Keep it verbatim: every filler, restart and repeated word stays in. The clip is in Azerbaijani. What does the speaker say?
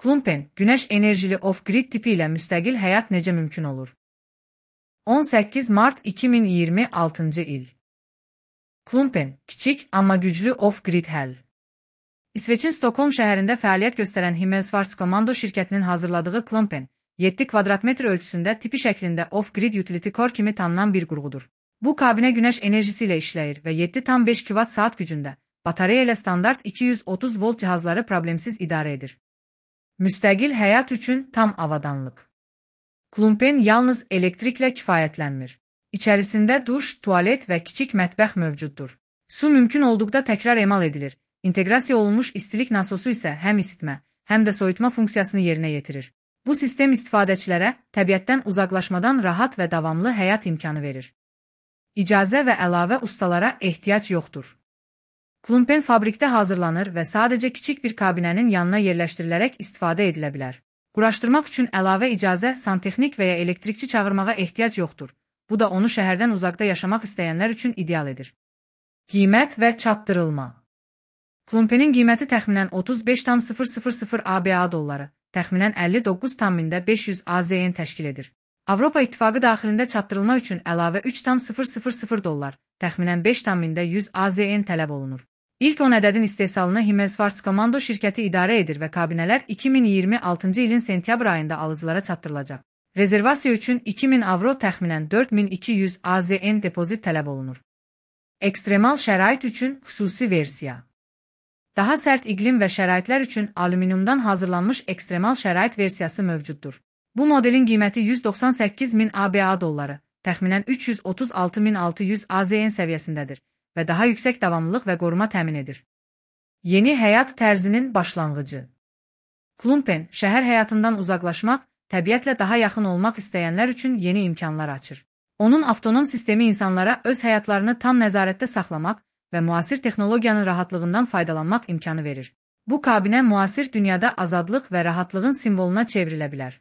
Klumpen, günəş enerjili off-grid tipi ilə müstəqil həyat necə mümkün olur? on səkkiz mart iki min iyirmi altıncı il. Klumpen, kiçik, amma güclü off-grid həll. İsveçin Stockholm şəhərində fəaliyyət göstərən Himmelsvarts Komando şirkətinin hazırladığı Klumpen, yeddi kvadratmetr ölçüsündə tipi şəklində off-grid utility core kimi tanınan bir qurğudur. Bu kabinə günəş enerjisi ilə işləyir və yeddi tam beş kilowatt saat gücündə, batareya ilə standart iki yüz otuz volt cihazları problemsiz idarə edir. Müstəqil həyat üçün tam avadanlıq. Klumpen yalnız elektriklə kifayətlənmir. İçərisində duş, tualet və kiçik mətbəx mövcuddur. Su mümkün olduqda təkrar emal edilir. İnteqrasiya olunmuş istilik nasosu isə həm isitmə, həm də soyutma funksiyasını yerinə yetirir. Bu sistem istifadəçilərə təbiətdən uzaqlaşmadan rahat və davamlı həyat imkanı verir. İcazə və əlavə ustalara ehtiyac yoxdur. Klumpen fabrikdə hazırlanır və sadəcə kiçik bir kabinənin yanına yerləşdirilərək istifadə edilə bilər. Quraşdırmaq üçün əlavə icazə, santexnik və ya elektrikçi çağırmağa ehtiyac yoxdur. Bu da onu şəhərdən uzaqda yaşamaq istəyənlər üçün ideal edir. Qiymət və çatdırılma. Klumpenin qiyməti təxminən otuz beş tam sıfır sıfır sıfır ABA dolları, təxminən əlli doqquz tam beş yüz AZN təşkil edir. Avropa İttifaqı daxilində çatdırılma üçün əlavə üç tam sıfır sıfır sıfır dollar, təxminən beş tam yüz AZN tələb olunur. İlk on ədədin istehsalını Himmelsvarts Komando şirkəti idarə edir və kabinələr iki min iyirmi altıncı ilin sentyabr ayında alıcılara çatdırılacaq. Rezervasiya üçün iki min avro təxminən dörd min iki yüz AZN depozit tələb olunur. Ekstremal şərait üçün xüsusi versiya. Daha sərt iqlim və şəraitlər üçün alüminiumdan hazırlanmış ekstremal şərait versiyası mövcuddur. Bu modelin qiyməti yüz doxsan səkkiz min ABA dolları, təxminən üç yüz otuz altı min altı yüz AZN səviyyəsindədir və daha yüksək davamlılıq və qoruma təmin edir. Yeni həyat tərzinin başlanğıcı. Klumpen, şəhər həyatından uzaqlaşmaq, təbiətlə daha yaxın olmaq istəyənlər üçün yeni imkanlar açır. Onun avtonom sistemi insanlara öz həyatlarını tam nəzarətdə saxlamaq və müasir texnologiyanın rahatlığından faydalanmaq imkanı verir. Bu kabinə müasir dünyada azadlıq və rahatlığın simvoluna çevrilə bilər.